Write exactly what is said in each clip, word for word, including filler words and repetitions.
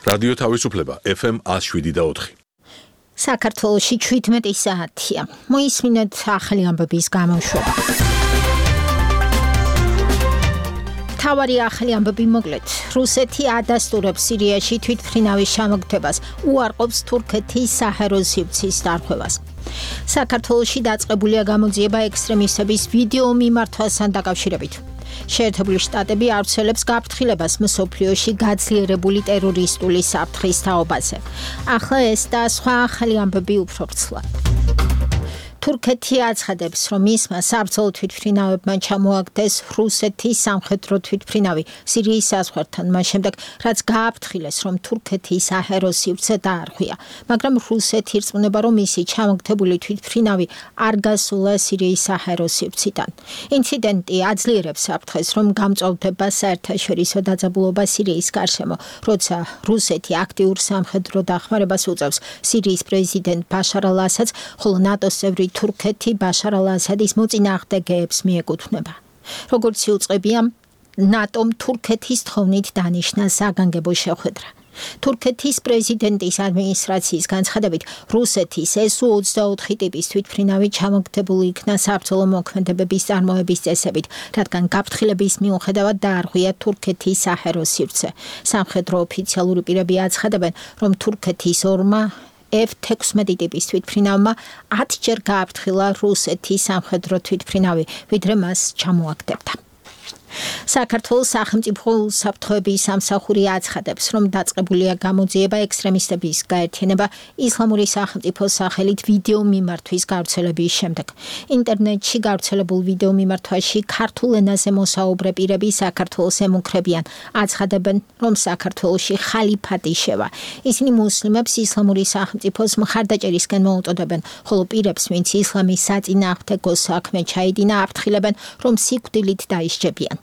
რადიო თავისუფლება F M one oh seven და four. საქართველოში seventeen საათია. მოისმინეთ ახალი ამბების გამოშვება. თავარი ახალი ამბები მოკლედ. რუსეთი ადასტურებს სირიაში თვითმფრინავის ჩამოგდებას, უარყოფს თურქეთის საჰაერო სივრცის დარღვევას. საქართველოში დაწყებულია გამოძიება ექსტრემისტების ვიდეო მიმართვასთან დაკავშირებით. შეერთებული შტატები ავრცელებს გაფრთხილებას მსოფლიოში გაძლიერებული ტერორისტული საფრთხის თაობაზე. ახლა ეს და სხვა ახალი ამბები უფრო ვრცლად. თურქეთი აცხადებს, რომ მისმა საბრძოლო თვითმფრინავებმა ჩამოაგდეს რუსეთის სამხედრო თვითმფრინავი სირიის საზღვართან, მას შემდეგ, რაც გააფრთხილეს, რომ თურქეთის საჰაერო სივრცე დაარღვია, მაგრამ რუსეთი ირწმუნება, რომ მისი ჩამოგდებული თვითმფრინავი არ გასულა სირიის საჰაერო სივრციდან. ინციდენტი აძლიერებს საფრთხეს, რომ გამწვავდება საერთაშორისო დაძაბულობა სირიის გარშემო, როცა რუსეთი აქტიურ სამხედრო დახმარებას უწევს სირიის პრეზიდენტ ბაშარ ალ-ასადს, ხოლო ნატოს წევრი თურქეთი ბაშარ ალ-ასადის მოწინააღმდეგეებს მიეკუთვნება. როგორც იუწყებია, ნატომ თურქეთის თხოვნით დანიშნა საგანგებო შეხვედრა. თურქეთის პრეზიდენტის ადმინისტრაციის განცხადებით, რუსეთის ეს უ ოცდაოთხ ტიპის თვითმფრინავი ჩამოგდებული იქნა საბრძოლო მოქმედებების წარმოების წესებით, რადგან გაფრთხილების მიუხედავად დაარღვია თურქეთის საჰაერო სივრცე. სამხედრო ოფიციალური პირები აცხადებენ, რომ თურქეთის ორმა F sixteen ტიპის თვითმფრინავმა ათჯერ გააფრთხილა რუსეთის სამხედრო თვითმფრინავი, ვიდრე მას ჩამოაგდებდა. საქართველოს სახელმწიფო უსაფრთხოების სამსახური აცხადებს, რომ დაწყებულია გამოძიება ექსტრემისტების გაერთიანება ისლამური სახელმწიფოს სახელით ვიდეო მიმართვის გავრცელების შემდეგ. ინტერნეტში გავრცელებულ ვიდეო მიმართვაში ქართულ ენაზე მოსაუბრე პირები საქართველოს ემუქრებიან, აცხადებენ, რომ საქართველოში ხალიფატი შევა. ისინი მუსლიმებს ისლამური სახელმწიფოს მხარდაჭერისკენ მოუწოდებენ, ხოლო პირებს, ვინც ისლამის საწინააღმდეგო საქმე ჩაიდინა, აფრთხილებენ, რომ სიკვდილით დაისჯებიან.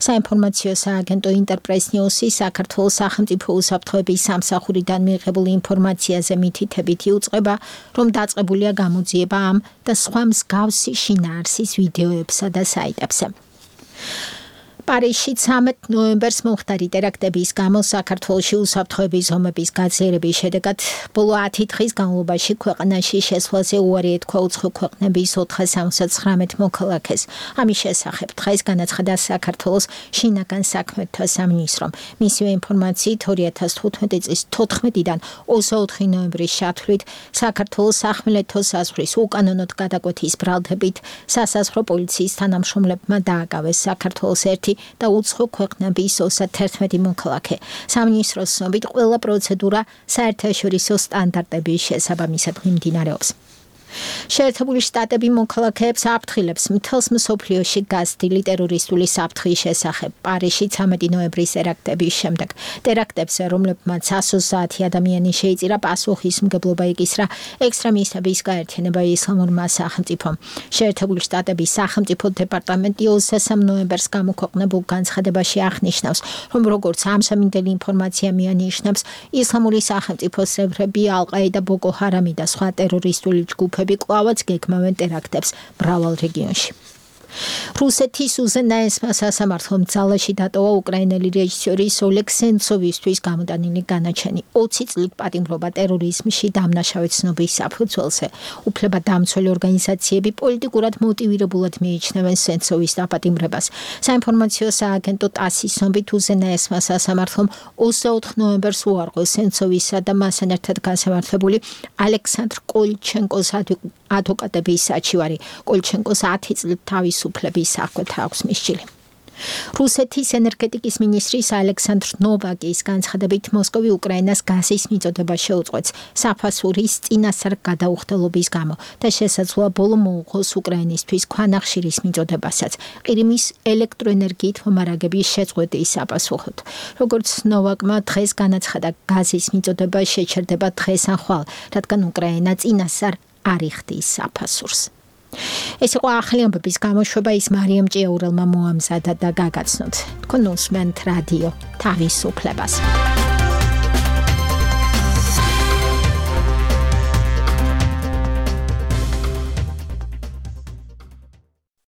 საინფორმაციო სააგენტო ინტერპრეს ნიუსი საქართველოს სახელმწიფო უსაფრთხოების სამსახურიდან მიიღებული ინფორმაციაზე მითითებით იუწყება, რომ დაწყებულია გამოძიება ამ და სხვა მსგავსი შინაარსის ვიდეოებსა და საიტებზე. პარიზში ცამეტ ნოემბერს მომხდარი ტერაქტების გამო საქართველოში უსაფრთხოების ზომების გაძლიერების შედეგად ბოლო ათი დღის განმავლობაში ქვეყანაში შესვლაზე უარი ეთქვა უცხო ქვეყნების ოთხსამოცდათვრამეტ მოქალაქეს. ამის შესახებ დღეს განაცხადა საქართველოს შინაგან საქმეთა სამინისტრომ. მისივე ინფორმაციით ორი ათას თხუთმეტი წლის თოთხმეტიდან ოცდაოთხი ნოემბრის ჩათვლით საქართველოს სახმელეთო საზღვრის უკანონოდ გადაკვეთის ბრალდებით სასაზღვრო პოლიციის თანამშრომლებმა დააკავეს საქართველოს ერთი და უცხო ქვეყნების ოცდათერთმეტი მოქალაქე. სამინისტროს ცნობით ყველა პროცედურა საერთაშორისო სტანდარტების შესაბამისად მიმდინარეობს. შეერთებული შტატები მოქალაქეებს აფრთხილებს მთელს მსოფლიოში გაზრდილი ტერორისტული საფრთხის შესახებ. პარიზში ცამეტი ნოემბრის ტერაქტების შემდეგ ტერაქტებზე, რომლებმაც ათოცდაათი ადამიანი შეიწირა, პასუხისმგებლობა იკისრა ექსტრემისტების გაერთიანება ისლამურმა სახელმწიფომ. შეერთებული შტატების სახელმწიფო დეპარტამენტი ოცდასამ ნოემბერს გამოქვეყნებულ განცხადებაში აღნიშნავს, რომ როგორც ამჟამინდელი ინფორმაცია მიანიშნებს, ისლამური სახელმწიფოს წევრები ალ-ყაიდა, ბოკო ჰარამი და სხვა ტერორისტული ჯგუფები კვლავაც გეგმავენ ტერაქტებს მრავალ რეგიონში. რუსეთის უზენაესმა სასამართლომ ძალაში დატოვა უკრაინელი რეჟისორის ოლეგ სენცოვისთვის გამოტანილი განაჩენი ოცი წლით პატიმრობა ტერორიზმში დამნაშავე ცნობის საფუძველზე. უფლებადამცველი ორგანიზაციები პოლიტიკურად მოტივირებულად მიიჩნევენ სენცოვის დაპატიმრებას. საინფორმაციო სააგენტო ტასის ცნობით უზენაესმა სასამართლომ ოცდაოთხ ნოემბერს უარყო სენცოვისა და მასთან ერთად განსამართლებული ალექსანდრ კოლჩენკოს ადვოკატების საჩივარი. კოლჩენკოს ათი წლით თავის უფლების საკვეთა აქვს მისჯილი. რუსეთის ენერგეტიკის მინისტრის ალექსანდრ ნოვაკის განცხადებით, მოსკოვი უკრაინას გაზის მიწოდება შეუწყვეტს საფასურის წინასწარ გადაუხდელობის გამო და შესაძლოა ბოლო მოუღოს უკრაინისთვის ქვანახშირის მიწოდებასაც ყირიმის ელექტროენერგიით მომარაგების შეწყვეტის საპასუხოდ. როგორც ნოვაკმა დღეს განაცხადა, გაზის მიწოდება შეჩერდება დღეს ან ხვალ, რადგან უკრაინა წინასწარ არ იხდის საფასურს. ეს იყო ახალი ამბების გამოშვება, ის მარიამ ჭიაურელმა მოამზადა და გაგაცნოთ. თქვენ უსმენთ რადიო თავისუფლებას.